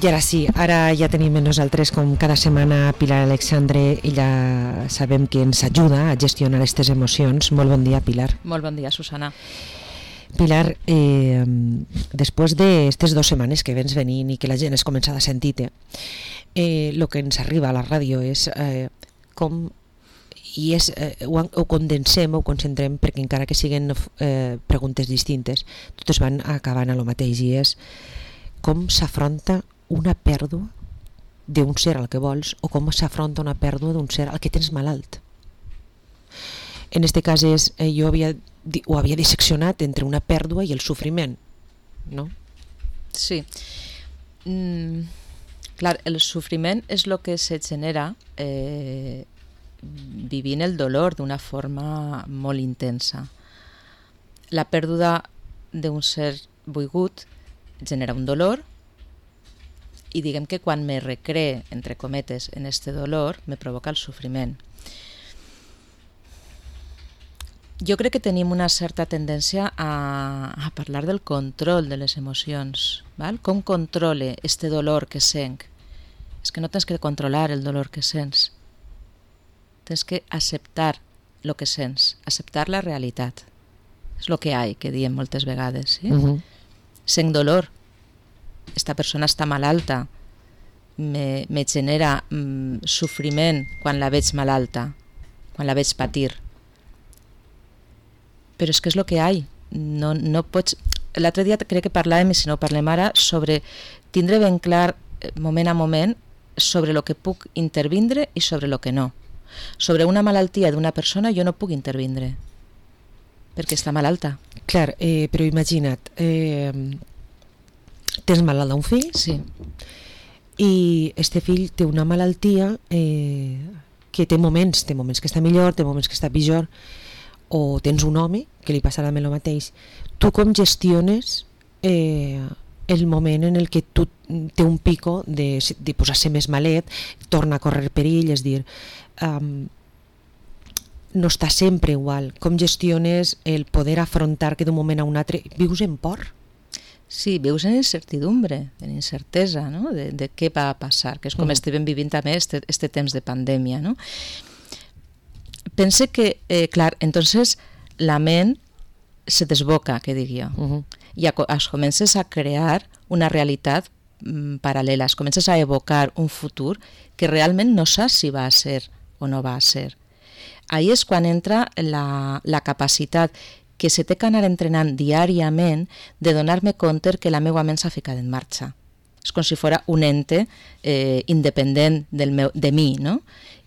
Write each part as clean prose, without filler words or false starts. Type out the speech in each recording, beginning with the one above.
I ara sí, ara ja tenim amb nosaltres com cada setmana Pilar Alexandre. Ella sabem que ens ajuda a gestionar aquestes emocions. Molt bon dia, Pilar. Molt bon dia, Susana. Pilar, després d'aquestes 2 setmanes que vens venint i que la gent es comença a sentir-te, el que ens arriba a la ràdio és com i ho condensem, ho concentrem, perquè encara que siguin preguntes distintes, totes van acabant a lo mateix, i és com s'afronta una pèrdua d'un ser al que vols, o com s'afronta una pèrdua d'un ser al que tens malalt. En este cas és, jo ho havia disseccionat entre una pèrdua i el sofriment, no? Sí. Clar, el sofriment és el que se genera vivint el dolor d'una forma molt intensa. La pèrdua d'un ser volgut genera un dolor, i diguem que quan me recree, entre cometes, en este dolor, me provoca el sofriment. Jo crec que tenim una certa tendència a parlar del control de les emocions, val? Com controle este dolor que sent? És que no tens que controlar el dolor que sents, tens que acceptar el que sents, acceptar la realitat. És el que hi, que diem moltes vegades. Sí? Sent dolor, esta persona està malalta, me genera sofriment quan la veig malalta, quan la veig patir. Però és que és el que hi. No pots... L'altre dia crec que parlàvem, i si no parlem ara, sobre tindre ben clar, moment a moment, sobre el que puc intervindre i sobre el que no. Sobre una malaltia d'una persona jo no puc intervindre, perquè està malalta. Clar, però imagina't, tens malalt un fill, sí, i este fill té una malaltia que té moments que està millor, té moments que està pitjor, o tens un home que li passarà el mateix. Tu com gestiones el moment en el que tu té un pico de posar-se més malet, torna a córrer perill, és dir, no està sempre igual. Com gestiones el poder afrontar que d'un moment a un altre vius en por? Sí, vius en incertidumbre, en incertesa, no? de què va a passar, que és com estem vivint també este temps de pandèmia, no? Pense que, clar, entonces la ment se desboca, que dic jo, i es comences a crear una realitat paral·lela, es comences a evocar un futur que realment no saps si va a ser o no va a ser. Ahí és quan entra la capacitat que se té que anar entrenant diàriament de donar-me compte que la meva ment s'ha ficat en marxa. És com si fos un ente independent de mi, no?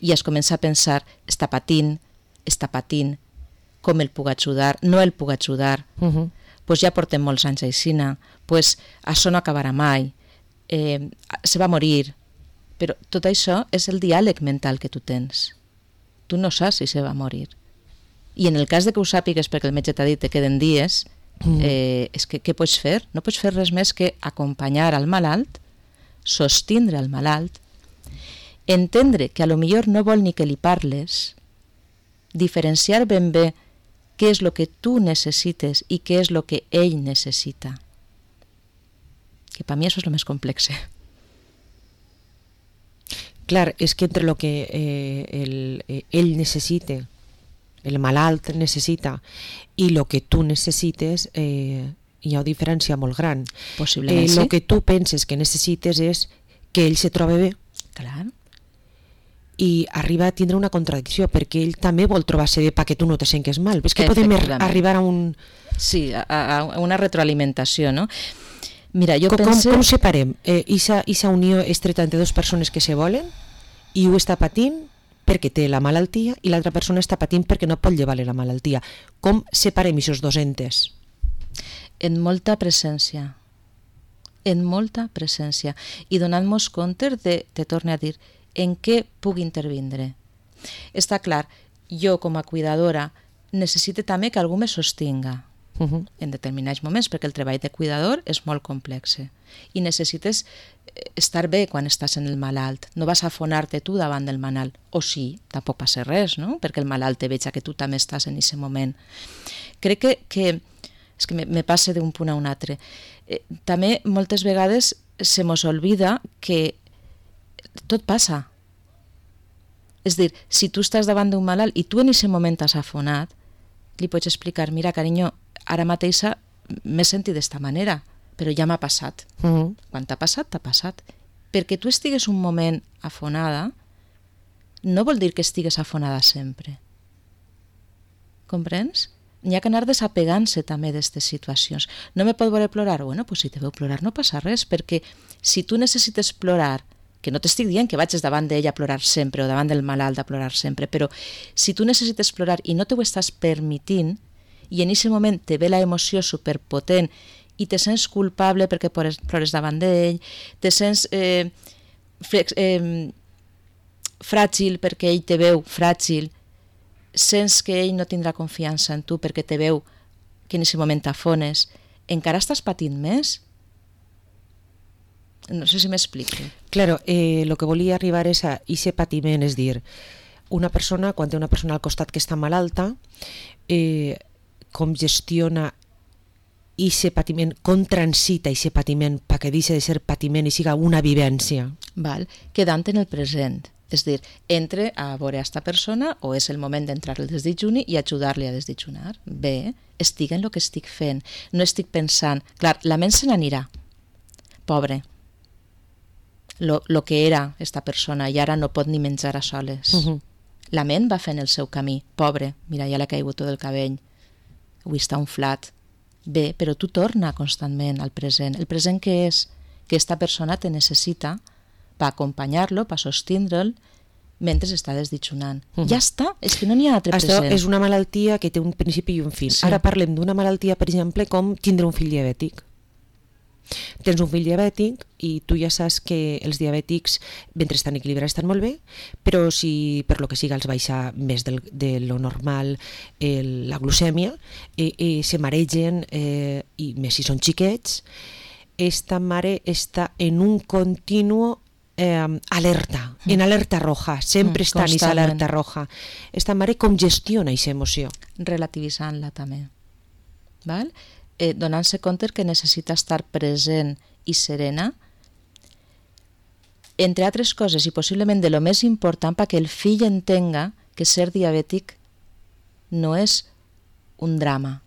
I es comença a pensar, està patint, com el puc ajudar, no el puc ajudar, pues ja portem molts anys aixina, pues això no acabarà mai, se va morir, però tot això és el diàleg mental que tu tens. Tu no saps si se va morir. I en el cas de que ho sàpigues perquè el metge t'ha dit que queden dies, és que què pots fer? No pots fer res més que acompanyar al malalt, sostindre al malalt, entendre que a lo millor no vol ni que li parles, diferenciar ben bé què és el que tu necessites i què és el que ell necessita. Que per mi això és el més complex. Clar, és que entre el que ell necessita, el malalt necessita, i el que tu necessites, hi ha una diferència molt gran. Possiblement sí. El que tu penses que necessites és que ell se trobi bé. Clar. I arriba a tindre una contradicció, perquè ell també vol trobar-se bé perquè tu no te sents mal. És que podem arribar a un... Sí, a una retroalimentació, no? Mira, jo pense... Com separem? Esa unió estreta entre dues persones que se volen i ho està patint perquè té la malaltia i l'altra persona està patint perquè no pot llevar-li la malaltia. Com separem aquests dos entes? En molta presència. I donant-nos compte de, te torno a dir, en què puc intervindre. Està clar, jo com a cuidadora necessito també que algú me sostinga en determinats moments, perquè el treball de cuidador és molt complex i necessites estar bé quan estàs en el malalt, no vas a afonar-te tu davant del malalt, o sí, tampoc passa res, no? Perquè el malalt te veja que tu també estàs en aquest moment. Crec que és que me passa d'un punt a un altre. També moltes vegades se mos olvida que tot passa. És dir, si tu estàs davant d'un malalt i tu en aquest moment has afonat, li pots explicar, mira, carinyo, ara mateix m'he sentit d'esta manera, però ja m'ha passat. Quan t'ha passat, t'ha passat. Perquè tu estigues un moment afonada, no vol dir que estigues afonada sempre. Comprens? N'hi ha que anar desapegant-se també d'aquestes situacions. No me pot veure plorar? Bueno, pues si te veu plorar no passa res, perquè si tu necessites plorar, que no t'estic dient que vagis davant d'ella a plorar sempre o davant del malalt a plorar sempre, però si tu necessites plorar i no t'ho estàs permitint i en aquest moment te ve la emoció superpotent i te sents culpable perquè plores davant d'ell, te sents fràgil perquè ell te veu fràgil, sents que ell no tindrà confiança en tu perquè te veu que en aquest moment t'afones, encara estàs patint més. No sé si m'explico. Claro, lo que volia arribar és a ese patiment, és dir, una persona, quan té una persona al costat que està malalta, com gestiona ese patiment, com transita ese patiment perquè deixi de ser patiment i siga una vivència. Val? Quedant en el present. És dir, entre a veure aquesta persona o és el moment d'entrar al desdejuni i ajudar-li a desdejunar. Bé, estic en el que estic fent. No estic pensant... Clar, la ment se n'anirà. Pobre. Lo que era esta persona i ara no pot ni menjar a soles. La ment va fent el seu camí. Pobre, mira, ja l'ha caigut tot el cabell. Avui està unflat. Bé, però tu torna constantment al present. El present què és? Que esta persona te necessita per acompanyar-lo, per sostindre'l mentre està desditxonant. Ja està, és que no n'hi ha altre present. Això és una malaltia que té un principi i un fin. Sí. Ara parlem d'una malaltia, per exemple, com tindre un fill diabètic. Tens un fill diabètic i tu ja saps que els diabètics, mentre estan equilibrats, estan molt bé, però si per lo que siga els baixa més de lo normal la glucèmia, se maregen, i més si són xiquets, esta mare està en un continu alerta, en alerta roja, sempre està en aquesta alerta roja. Esta mare com gestiona aquesta emoció? Relativitzant-la també. Val? Donant-se compte que necessita estar present i serena, entre altres coses, i possiblement de lo més important perquè el fill entenga que ser diabètic no és un drama,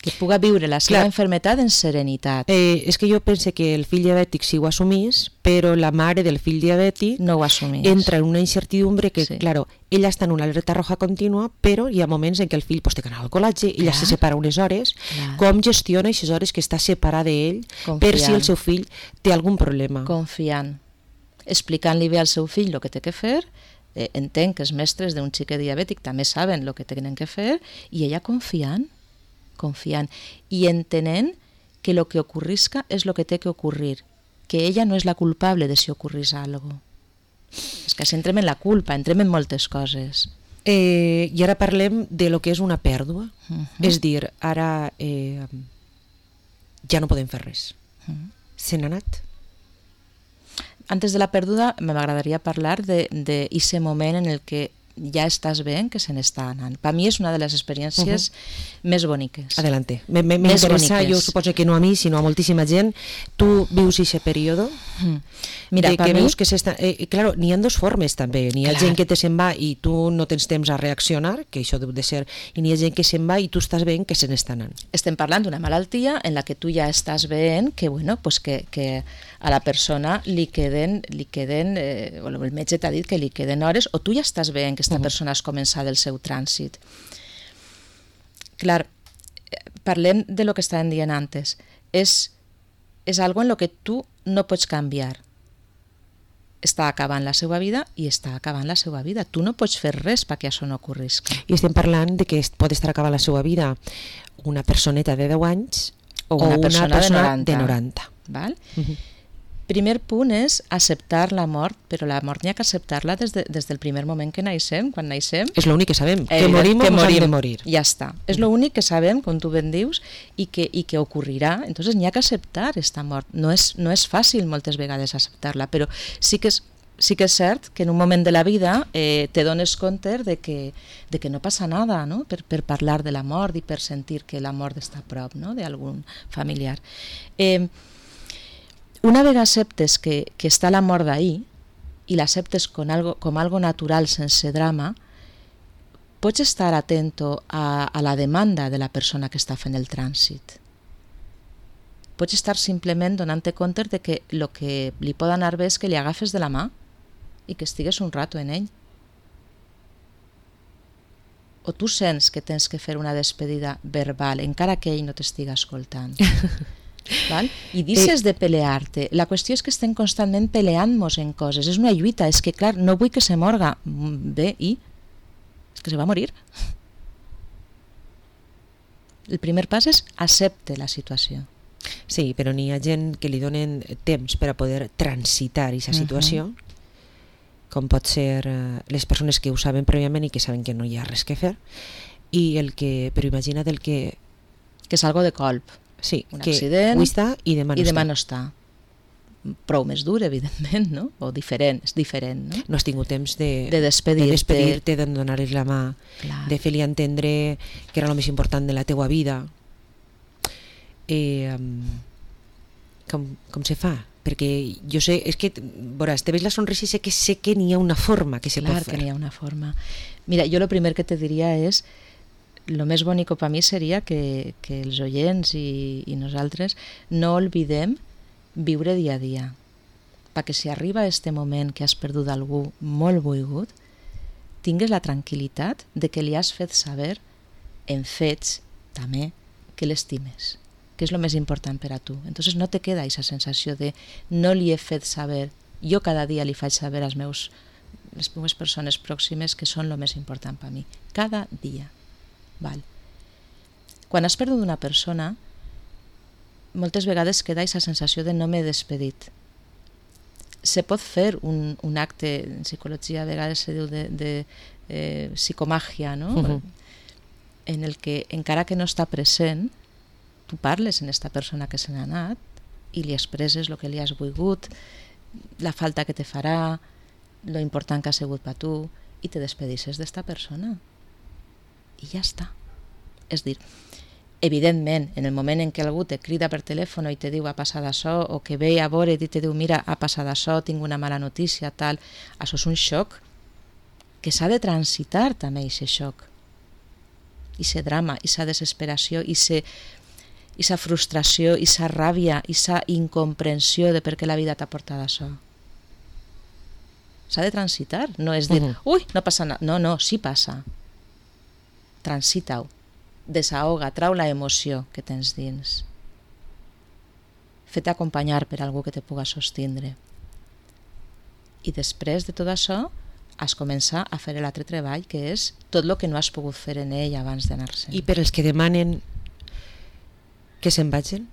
que puga viure la seva enfermetat en serenitat. És que jo pense que el fill diabètic sí ho assumís, però la mare del fill diabètic no ho assumís. Entra en una incertidumbre que, claro, ella està en una alerta roja contínua, però hi ha moments en què el fill té que anar al col·legi, ella se separa unes hores, com gestiona aquestes hores que està separada d'ell per si el seu fill té algun problema. Confiant, explicant-li bé al seu fill el que té que fer, entenc que els mestres d'un xiquet diabètic també saben el que tenen que fer, i ella confiant i entenent que el que ocorrisca és el que té que ocorrir, que ella no és la culpable de si ocorrís alguna cosa. És que si entrem en la culpa, entrem en moltes coses. I ara parlem de lo que és una pèrdua. És dir, ara ja no podem fer res. Se n'ha anat. Antes de la pèrdua m'agradaria parlar d'aquest moment en el que ja estàs veient que se n'està anant. Per mi és una de les experiències més boniques. Adelante. M'interessa, jo suposo que no a mi, sinó a moltíssima gent. Tu vius aquest període? Mira, per mi... Veus que claro, n'hi ha dues formes també. N'hi ha gent que te se'n va i tu no tens temps a reaccionar, que això deu de ser, i n'hi ha gent que se'n va i tu estàs veient que se n'està anant. Estem parlant d'una malaltia en la que tu ja estàs veient que, bueno, pues que a la persona li queden el metge t'ha dit que li queden hores, o tu ja estàs veient que aquesta persona has començat el seu trànsit. Clar, parlem de lo que estàvem dient antes. És algo en lo que tu no pots canviar. Està acabant la seva vida i està acabant la seva vida. Tu no pots fer res perquè això no ocorrisca. I estem parlant de que pot estar acabant la seva vida una personeta de 10 anys o una persona de 90. Val? Primer punt és acceptar la mort, però la mort n'hi ha que acceptar-la des del primer moment que naixem, quan naixem. És l'únic que sabem, que morim o ens hem de morir. Ja està, és l'únic que sabem, com tu ben dius, i que ocorrirà, entonces n'hi ha que acceptar esta mort. No és fàcil moltes vegades acceptar-la, però sí que és cert que en un moment de la vida te dones compte de que no passa nada, no? Per parlar de la mort i per sentir que la mort està a prop, no? D'algun familiar. Una vegada acceptes que està la mort d'ahir i l'acceptes com algo natural, sense drama, pots estar atento a la demanda de la persona que està fent el trànsit. Pots estar simplement donant-te compte de que el que li pot anar bé és que li agafes de la mà i que estigues un rato en ell. O tu sents que tens que fer una despedida verbal, encara que ell no t'estiga escoltant. Val? I deixes de pelear-te. La qüestió és que estem constantment peleant-nos en coses. És una lluita, és que clar, no vull que se morga. Bé, i? És que se va morir. El primer pas és accepte la situació. Sí, però n'hi ha gent que li donen temps per a poder transitar aquesta situació, com pot ser les persones que ho saben prèviament i que saben que no hi ha res que fer, però imagina't el que... Que és algo de colp. Sí, un que accident, avui està i demà no està. Prou més dur, evidentment, no? O diferent, és diferent, no? No has tingut temps de despedir-te, de donar-li la mà, clar, de fer-li entendre que era el més important de la teua vida. Com se fa? Perquè jo sé, és que, veuràs, te veus la sonrisa i sé que n'hi ha una forma que se pot fer. Clar que n'hi ha una forma. Mira, jo el primer que te diria és, lo més bonic per mi seria que els oients i nosaltres no oblidem viure dia a dia, perquè si arriba este moment que has perdut algú molt volgut, tingues la tranquil·litat de que li has fet saber en fets també que l'estimes, que és el més important per a tu. Entonces no te queda aquesta sensació de no li he fet saber. Jo cada dia li faig saber les meves persones pròximes que són el més important per a mi. Cada dia. Val. Quan has perdut una persona, moltes vegades queda aquesta sensació de no m'he despedit. Se pot fer un acte, en psicologia a vegades se diu de psicomàgia, no? En el que encara que no està present, tu parles en esta persona que se n'ha anat i li expresses el que li has volgut, la falta que te farà, lo important que ha sigut per tu, i te despedisses d'esta persona. I ja està. És dir, evidentment, en el moment en què algú te crida per telèfon i te diu ha passat això, o que ve a veure i te diu mira, ha passat això, tinc una mala notícia, tal, això és un xoc que s'ha de transitar també, aquest xoc. Aquest drama, aquesta desesperació, aquesta frustració, aquesta ràbia, aquesta incomprensió de per què la vida t'ha portat això. S'ha de transitar, no és dir, ui, no passa nada, no, sí passa. Transita-ho, desahoga, trau la emoció que tens dins. Fet acompanyar per algú que te puga sostindre. I després de tot això, has començat a fer l'altre treball, que és tot el que no has pogut fer en ell abans d'anar-se'n. I per els que demanen que se'n vagin,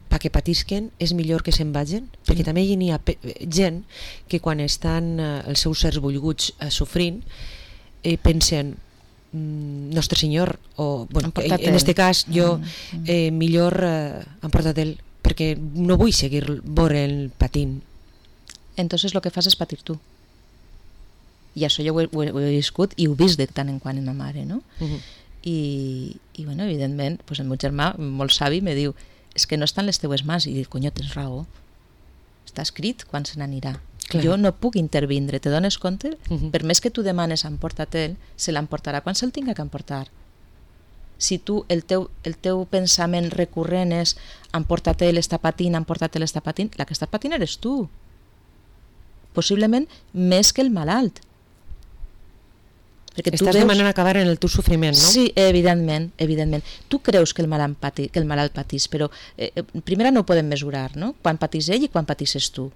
perquè patisquen, és millor que se'n vagin? Perquè també hi ha gent que quan estan els seus sers volguts sofrint, pensen Nostre Senyor, o bueno, en este cas jo millor emporta't ell, perquè no vull seguir veure-el patint. Entonces lo que fas és patir tu. I això jo ho he viscut i ho he vist de tant en quant en ma mare, no? I bueno, evidentment, pues el meu germà, molt savi, me diu és que no estan les teues mans, i dic, conyo, tens raó, està escrit quan se n'anirà. Clar. Jo no puc intervindre, te dones compte? Per més que tu demanes emporta-te'l, se l'emportarà quan se'l tinga que emportar. Si tu, el teu pensament recurrent és emporta-te'l, està patint, emporta-te'l, està patint, la que està patint eres tu. Possiblement més que el malalt. Perquè estàs demanant acabar en el teu sofriment, no? Sí, evidentment. Tu creus que el malalt patís, però primer no ho podem mesurar, no? Quan patís ell i quan patisses tu.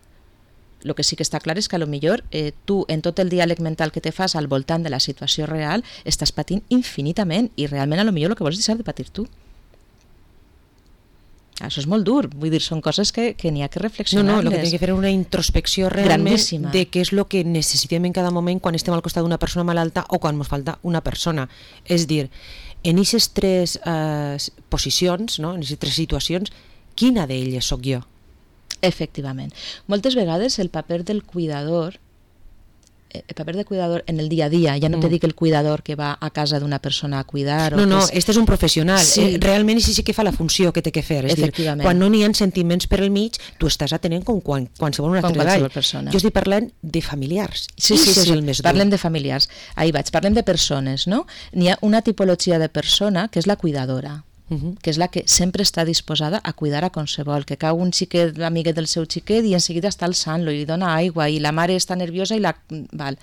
El que sí que està clar és que potser tu, en tot el diàleg mental que te fas al voltant de la situació real, estàs patint infinitament i realment potser el que vols és deixar de patir tu. Això és molt dur, vull dir, són coses que n'hi ha que reflexionar. No, el que té que fer és una introspecció realment grandíssima de què és el que necessitem en cada moment quan estem al costat d'una persona malalta o quan ens falta una persona. És dir, en aquestes tres posicions, no? En aquestes tres situacions, quina d'elles sóc jo? Efectivament. Moltes vegades el paper del cuidador el paper de cuidador en el día a día. Ja no te dic el cuidador que va a casa d'una persona a cuidar. No, este és un professional. Sí. Realment sí que fa la funció que té que fer. És dir, quan no n'hi ha sentiments per al mig, tu estàs atenent com qualsevol un altre treball. Jo estic parlant de familiars. Sí, és el més dur. Parlem de familiars. Ahí vaig. Parlem de persones, no? N'hi ha una tipologia de persona que és la cuidadora, que és la que sempre està disposada a cuidar a qualsevol, que cau un xiquet, l'amiguet del seu xiquet, i en seguida està alçant-lo i li dona aigua, i la mare està nerviosa i la... Val.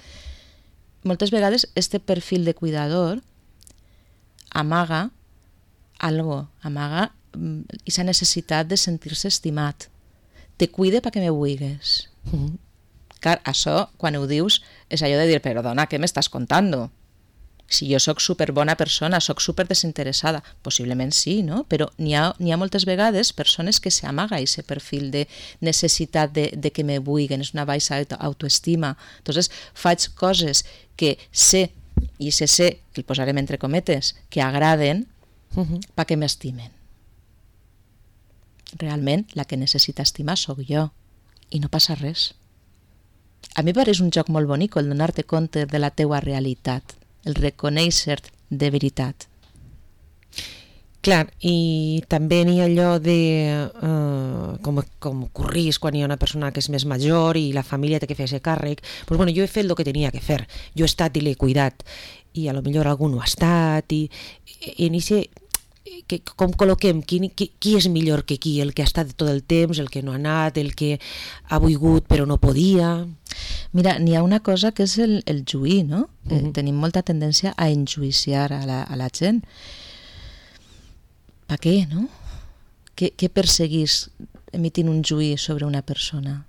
Moltes vegades este perfil de cuidador amaga algo, amaga aquesta necessitat de sentir-se estimat. Te cuide perquè me vulgues. Clar, això, quan ho dius, és allò de dir, però dona, què m'estàs contant? Si jo sóc superbona persona, sóc super desinteressada, possiblement sí, no? Però n'hi ha moltes vegades persones que s'amaga aquest perfil de necessitat de que me vulguen, és una baixa autoestima. Entonces, faig coses que sé, i sé, que el posarem entre cometes, que agraden, perquè m'estimen. Realment, la que necessita estimar sóc jo, i no passa res. A mi pareix un joc molt bonic el donar-te compte de la teua realitat, el reconèixer-te de veritat. Clar, i també n'hi ha allò de com ocorrís quan hi ha una persona que és més major i la família té que fer-se càrrec. Pues bueno, jo he fet el que tenia que fer, jo he estat i l'he cuidat, i a lo millor algú no ha estat, i en ese... com col·loquem, qui és millor que qui, el que ha estat tot el temps, el que no ha anat, el que ha volgut però no podia. Mira, n'hi ha una cosa que és el juir, no? Tenim molta tendència a enjuiciar a la gent. Per què, no? Què perseguís emitint un juí sobre una persona?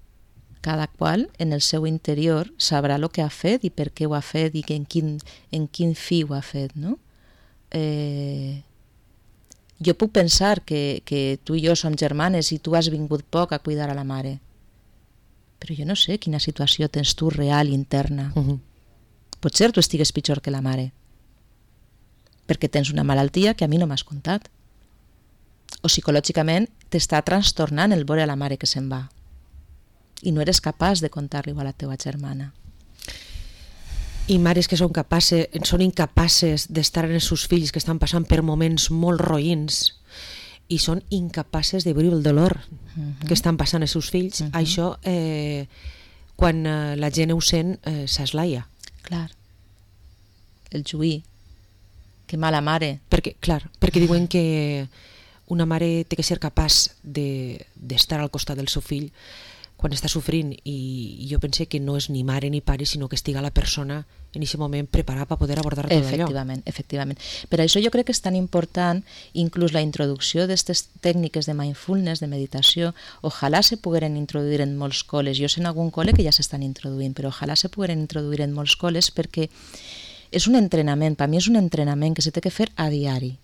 Cada qual en el seu interior sabrà el que ha fet i per què ho ha fet i en quin fi ho ha fet, no? Jo puc pensar que tu i jo som germanes i tu has vingut poc a cuidar a la mare, però jo no sé quina situació tens tu real, interna. Potser tu estigues pitjor que la mare, perquè tens una malaltia que a mi no m'has contat. O psicològicament t'està trastornant el veure a la mare que se'n va i no eres capaç de contar-li a la teva germana. I mares que són incapaces d'estar en els seus fills que estan passant per moments molt roïns i són incapaces de veure el dolor que estan passant els seus fills. Això, quan la gent ho sent, s'eslaia. Clar. El juí. Que mala mare. Perquè diuen que una mare té que ser capaç d'estar al costat del seu fill quan està sofrint, i jo pense que no és ni mare ni pare, sinó que estiga la persona en aquest moment preparada per poder abordar tot allò. Efectivament. Per això jo crec que és tan important inclús la introducció d'aquestes tècniques de mindfulness, de meditació. Ojalà se pogueren introduir en molts col·les. Jo sé en algun col·le que ja s'estan introduint, però ojalà se pogueren introduir en molts col·les perquè és un entrenament, per mi és un entrenament que s'ha de fer a diari.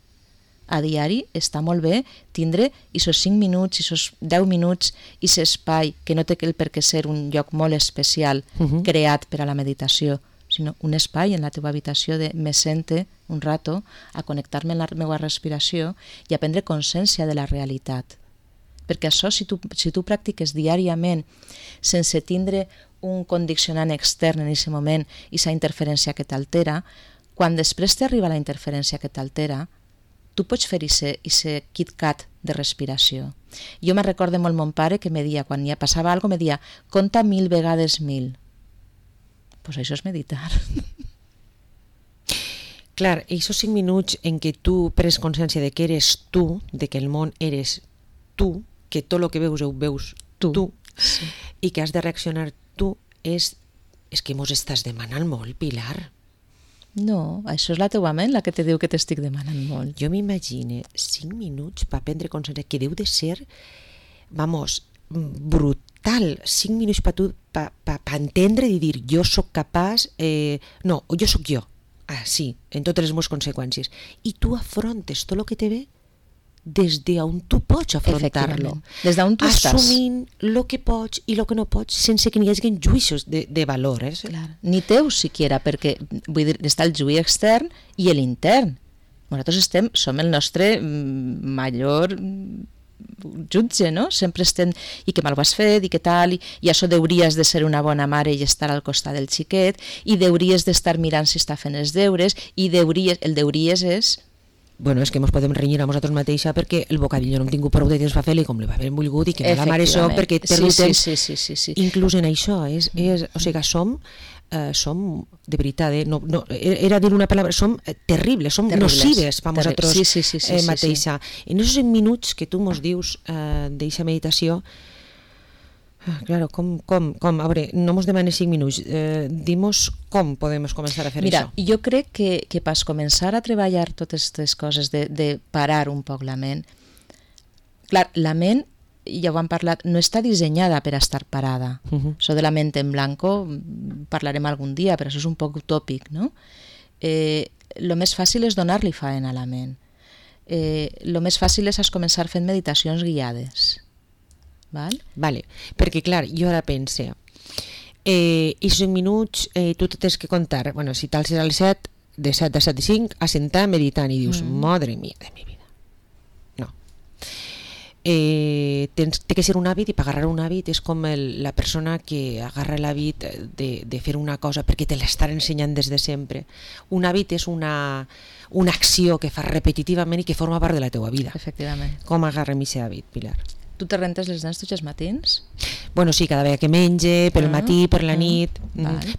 A diari està molt bé tindre aquests 5 minuts, aquests 10 minuts, aquest espai que no té per què ser un lloc molt especial creat per a la meditació, sinó un espai en la teva habitació de me sente un rato a connectar-me amb la meva respiració i a prendre consciència de la realitat. Perquè això, si tu practiques diàriament sense tindre un condicionant extern en aquest moment i aquesta interferència que t'altera, quan després t'arriba la interferència que t'altera, tu pots fer aquest KitKat de respiració. Jo me recordo molt mon pare que me dia, quan ja passava alguna cosa, me dia, compta 1000 vegades 1000. Pues això és meditar. Clar, aquests 5 minuts en què tu prens consciència de que eres tu, de que el món eres tu, que tot el que veus ho veus tu, sí. I que has de reaccionar tu, és que mos estàs demanant molt, Pilar. No, això és la teua ment la que te diu que t'estic demanant molt. Jo m'imagine 5 minuts per prendre consciència, que deu de ser, brutal. 5 minuts per tu, per entendre i dir, jo sóc capaç, no, jo sóc jo. Ah, sí, en totes les meves conseqüències. I tu afrontes tot el que te ve des d'on tu pots afrontar-lo. Des d'on tu estàs. Assumint el que pots i el que no pots, sense que n'hi hagi juïços de valor. Clar. Ni teus, siquiera, perquè vull dir, està el juí extern i l'intern. Nosaltres som el nostre major jutge, no? Sempre estem, i que mal ho has fet, i que tal, i això deuries de ser una bona mare i estar al costat del xiquet, i deuries d'estar mirant si està fent els deures, i el deuries és... Bueno, és que ens podem renyir a nosaltres mateixa perquè el bocadillo no hem tingut prou de temps per fer-li com li va haver volgut i que mala mare soc perquè perdo temps. Sí. Inclús en això, o sigui, som de veritat, no, era dir una paraula, som terribles, som nocives per nosaltres mateixa. En aquests 5 minuts que tu mos dius d'eixa meditació, claro, com, a veure, no mos demanes 5 minuts, dimos com podem començar a fer això. Mira, jo crec que per començar a treballar totes aquestes coses de parar un poc la ment, clar, la ment, ja ho hem parlat, no està dissenyada per estar parada. Això de la ment en blanco parlarem algun dia, però això és un poc utòpic, no? Lo més fàcil és donar-li faena a la ment. Lo més fàcil és començar fent meditacions guiades. Vale, perquè clar, jo ara pense i 5 minuts tu tens que contar, bueno, si tal serà el 7 de 7 a 7 i 5 a sentar meditant i dius, madre mía de mi vida, no, té que ser un hàbit, i per agarrar un hàbit és com la persona que agarra l'hàbit de fer una cosa perquè te l'estan ensenyant des de sempre. Un hàbit és una acció que fas repetitivament i que forma part de la teua vida. Efectivament. Com agarrem aquest hàbit, Pilar? Tu te rentes les dents tots els matins? Bueno, sí, cada vegada que menge, per el matí, per la nit.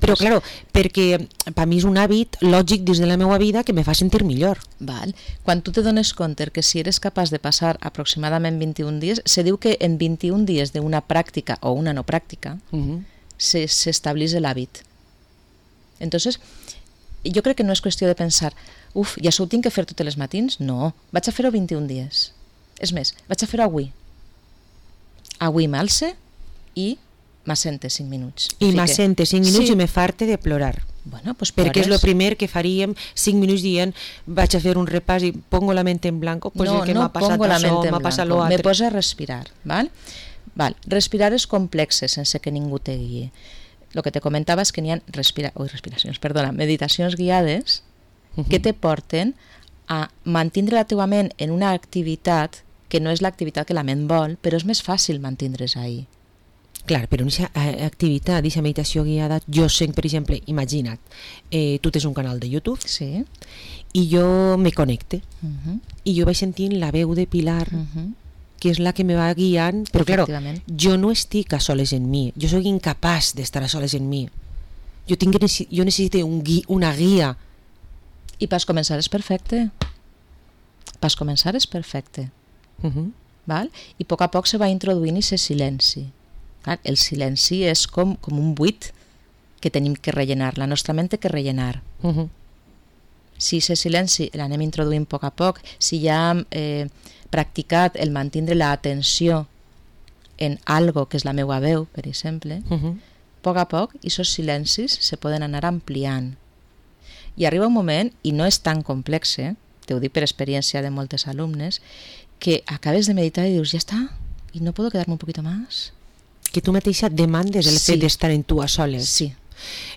Però, claro, perquè per mi és un hàbit lògic dins de la meva vida que me fa sentir millor. Quan tu te dones compte que si eres capaç de passar aproximadament 21 dies, se diu que en 21 dies d'una pràctica o una no pràctica s'estableix l'hàbit. Entonces, jo crec que no és qüestió de pensar, ja això ho tinc que fer tots els matins? No, vaig a fer-ho 21 dies. És més, vaig a fer-ho avui. Avui m'alce i m'assente 5 minuts. I m'assente 5 minuts i me farte de plorar. Bueno, pues perquè és el primer que faríem 5 minuts dient vaig a fer un repàs i pongo la ment en blanco, pues no, el que m'ha passat això, m'ha passat l'altre. Me posa a respirar, val? Respirar és complex sense que ningú te guie. El que te comentava és que n'hi ha meditacions guiades que te porten a mantindre la teva ment en una activitat que no és l'activitat que la ment vol, però és més fàcil mantindre's ahí. Clar, però en aquesta activitat, aquesta meditació guiada, jo sé, per exemple, imagina't, tu tens un canal de YouTube i jo me connecte i jo vaig sentint la veu de Pilar, que és la que me va guiant, però clar, jo no estic a soles en mi, jo soc incapaç d'estar a soles en mi, jo necessito una guia. I pas començar és perfecte. I a poc se va introduint aquest silenci. Clar, el silenci és com un buit que tenim que rellenar, la nostra ment té que rellenar. Si aquest silenci l'anem introduint a poc, si ja hem practicat el mantindre l'atenció en algo que és la meva veu, per exemple, a poc aquests silencis se poden anar ampliant. I arriba un moment, i no és tan complex, te ho dic per experiència de moltes alumnes, que acabes de meditar i dius, ja està, i no puedo quedarme un poquito más. Que tu mateixa demandes el fet d'estar en tu a soles. Sí.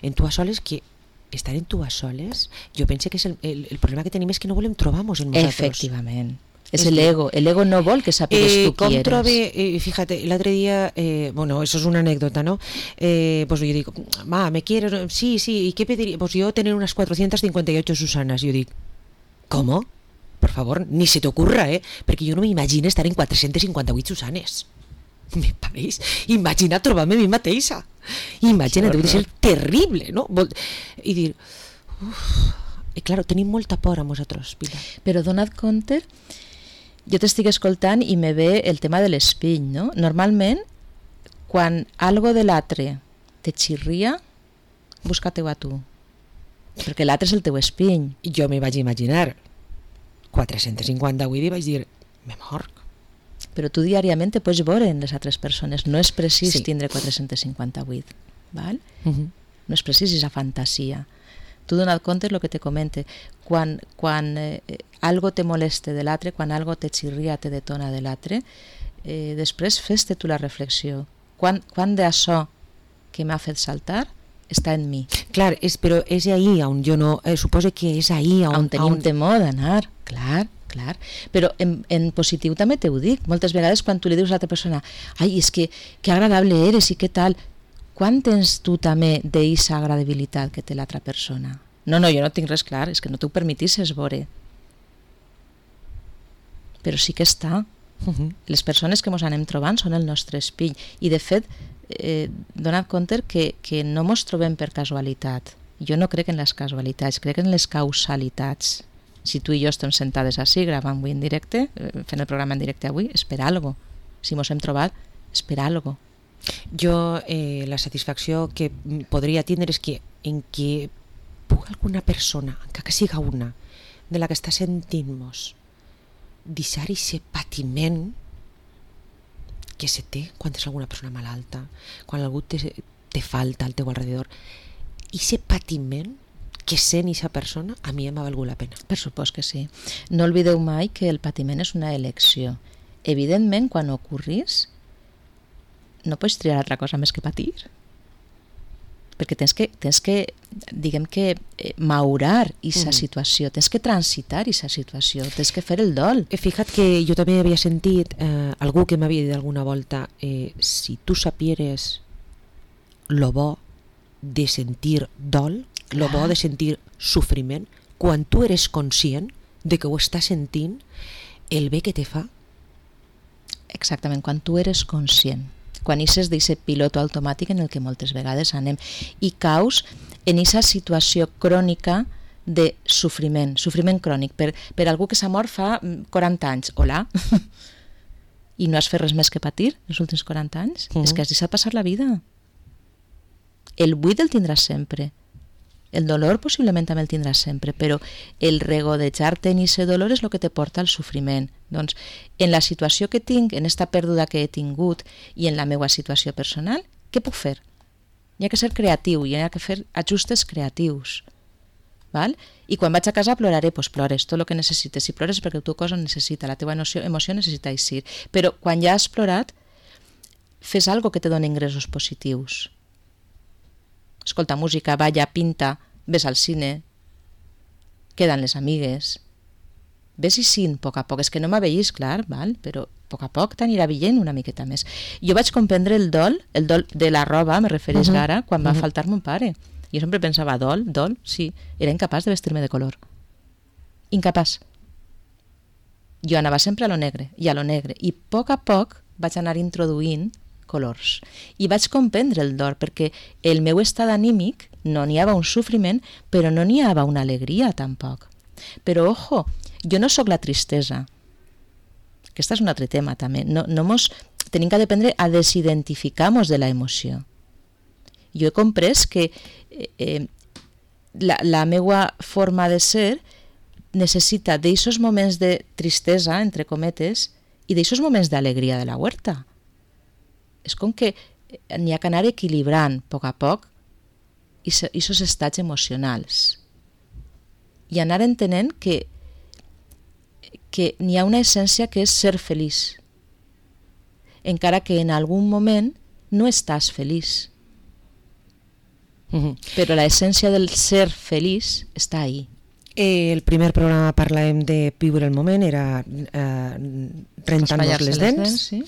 En tu a soles, que estar en tu a soles, jo penso que és el problema que tenim és que no volem trobar-nos en nosaltres. Efectivament. És l'ego. L'ego no vol que sàpigues tu qui eres. Com trobe, fíjate, l'altre dia, bueno, eso es una anécdota, ¿no? Pues yo digo, ma, ¿me quieres? Sí, ¿y qué pediría? Pues yo tener unas 458 Susanas. Yo digo, ¿cómo? Por favor, ni se te ocurra, perquè jo no m'imagino estar en 458 Susanes. Me pareix. Imagina trobar-me a mi mateixa. Imagina, deu de ser terrible, no? I dir, i claro, tenim molta por a nosaltres, Pilar. Però dona't compte, jo t'estic escoltant i me ve el tema de l'espill, no? Normalment, quan algo de l'altre te xirria, busca-te-ho a tu. Perquè l'altre és el teu espill. Jo me vaig imaginar 458 i vaig dir, me morc. Però tu diàriament te pots veure en les altres persones. No és precís tindre 458. Val? No és precís aquesta fantasia. Tu dona't compte el que te comente. Quan algo te moleste de l'altre, quan algo te xirria, te detona de l'altre, després fes-te tu la reflexió. Quan d'això que m'ha fet saltar està en mi. Clar, però és ahí on jo no... suposo que és ahí on tenim temor d'anar. Clar. Clar, però en positiu també t'ho dic. Moltes vegades quan tu li dius a l'altra persona ai, és que agradable eres i què tal, quan tens tu també d'eixa agradabilitat que té l'altra persona? No, jo no tinc res clar, és que no t'ho permetisses veure. Però sí que està. Les persones que ens anem trobant són el nostre espill i de fet donat compte que no ens trobem per casualitat. Jo no crec en les casualitats, crec en les causalitats. Si tu i jo estem sentades així, gravant avui en directe, fent el programa en directe avui, és per algo. Si mos hem trobat, és per algo. Jo la satisfacció que podria tindre és que en que pugui alguna persona, encara que siga una, de la que està sentint-nos, deixar aquest patiment que se té quan és alguna persona malalta, quan algú te falta al teu alrededor. I aquest patiment que sent aquesta persona, a mi m'ha valgut la pena. Per supost que sí. No oblideu mai que el patiment és una elecció. Evidentment, quan ocorris, no pots triar altra cosa més que patir. Perquè tens que diguem que, maurar aquesta situació, tens que transitar aquesta situació, tens que fer el dol. Fija't que jo també havia sentit algú que m'havia dit alguna volta si tu sapieres lo bo de sentir dol, lo bo de sentir sofriment, quan tu eres conscient de que ho estàs sentint, el bé que te fa. Exactament, quan tu eres conscient, quan ixes d'aquest pilot automàtic en el que moltes vegades anem i caus en aquesta situació crònica de sofriment crònic, per algú que s'ha mort fa 40 anys, hola, i no has fet res més que patir els últims 40 anys, és que has deixat passar la vida. El buit el tindràs sempre, el dolor possiblement també el tindràs sempre, però el regodejar-te en aquest dolor és el que te porta al sofriment. Doncs, en la situació que tinc, en esta pèrdua que he tingut i en la meva situació personal, què puc fer? Hi ha que ser creatiu, hi ha que fer ajustes creatius. Val? I quan vaig a casa ploraré, doncs plores tot el que necessites. Si plores perquè el teu cos ho necessita, la teva emoció necessita eixir. Però quan ja has plorat, fes algo que te doni ingressos positius. Escolta música, balla, pinta, ves al cine, queden les amigues, ves i sin a poc a poc, és que no m'aveïs, clar, val? Però a poc a poc t'anirà veient una miqueta més. Jo vaig comprendre el dol de la roba, me refereix ara, quan va faltar mon pare. Jo sempre pensava, dol, sí, era incapaç de vestir-me de color. Incapaç. Jo anava sempre a lo negre, i a poc a poc vaig anar introduint colors. I vaig comprendre el dol, perquè el meu estat anímic no n'hi havia un sofriment, però no n'hi havia una alegria tampoc. Però, ojo, jo no sóc la tristesa. Aquest és un altre tema també. Tenim que aprendre a desidentificar-nos de la emoció. Jo he comprès que la meva forma de ser necessita d'eixos moments de tristesa, entre cometes, i d'eixos moments d'alegria de la huerta. És com que n'hi ha que anar equilibrant a poc aquests estats emocionals i anar entenent que n'hi ha una essència que és ser feliç, encara que en algun moment no estàs feliç. Però l'essència del ser feliç està ahí. El primer programa parlàvem de viure el moment, era rentant-nos les dents. Sí.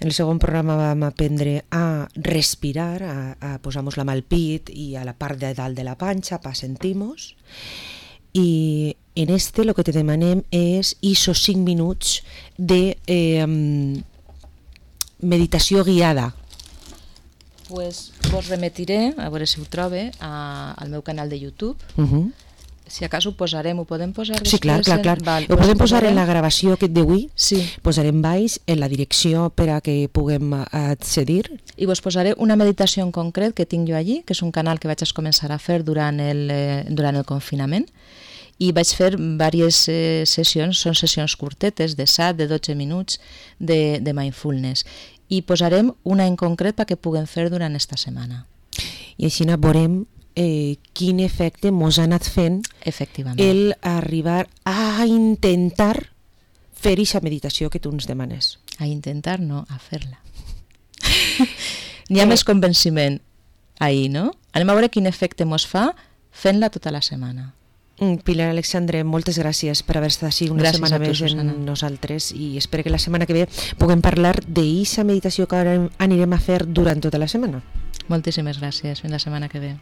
En el segon programa vam aprendre a respirar, a posar-nos la mà al pit i a la part de dalt de la panxa per sentir-nos. I en este lo que te demanem és esos 5 minuts de meditació guiada. Pues vos remetiré, a veure si ho trobe, al meu canal de YouTube. Si acaso ho posarem, ho podem posar després? Sí, clar. Val, ho podem posar en la gravació d'avui, sí. Posarem baix en la direcció per a que puguem accedir. I vos posaré una meditació en concret que tinc jo allí, que és un canal que vaig començar a fer durant el confinament, i vaig fer diverses sessions, són sessions curtetes, de 7, de 12 minuts, de mindfulness. I posarem una en concret perquè puguem fer durant esta setmana. I així veurem quin efecte mos ha anat fent el arribar a intentar fer aquesta meditació que tu ens demanes. A intentar, no, a fer-la. N'hi ha més convenciment ahir, no? Anem a veure quin efecte mos fa fent-la tota la setmana. Pilar Alexandre, moltes gràcies per haver estat així una setmana més amb nosaltres i espero que la setmana que ve puguem parlar d'eixa meditació que ara anirem a fer durant tota la setmana. Moltíssimes gràcies. Fins la setmana que ve.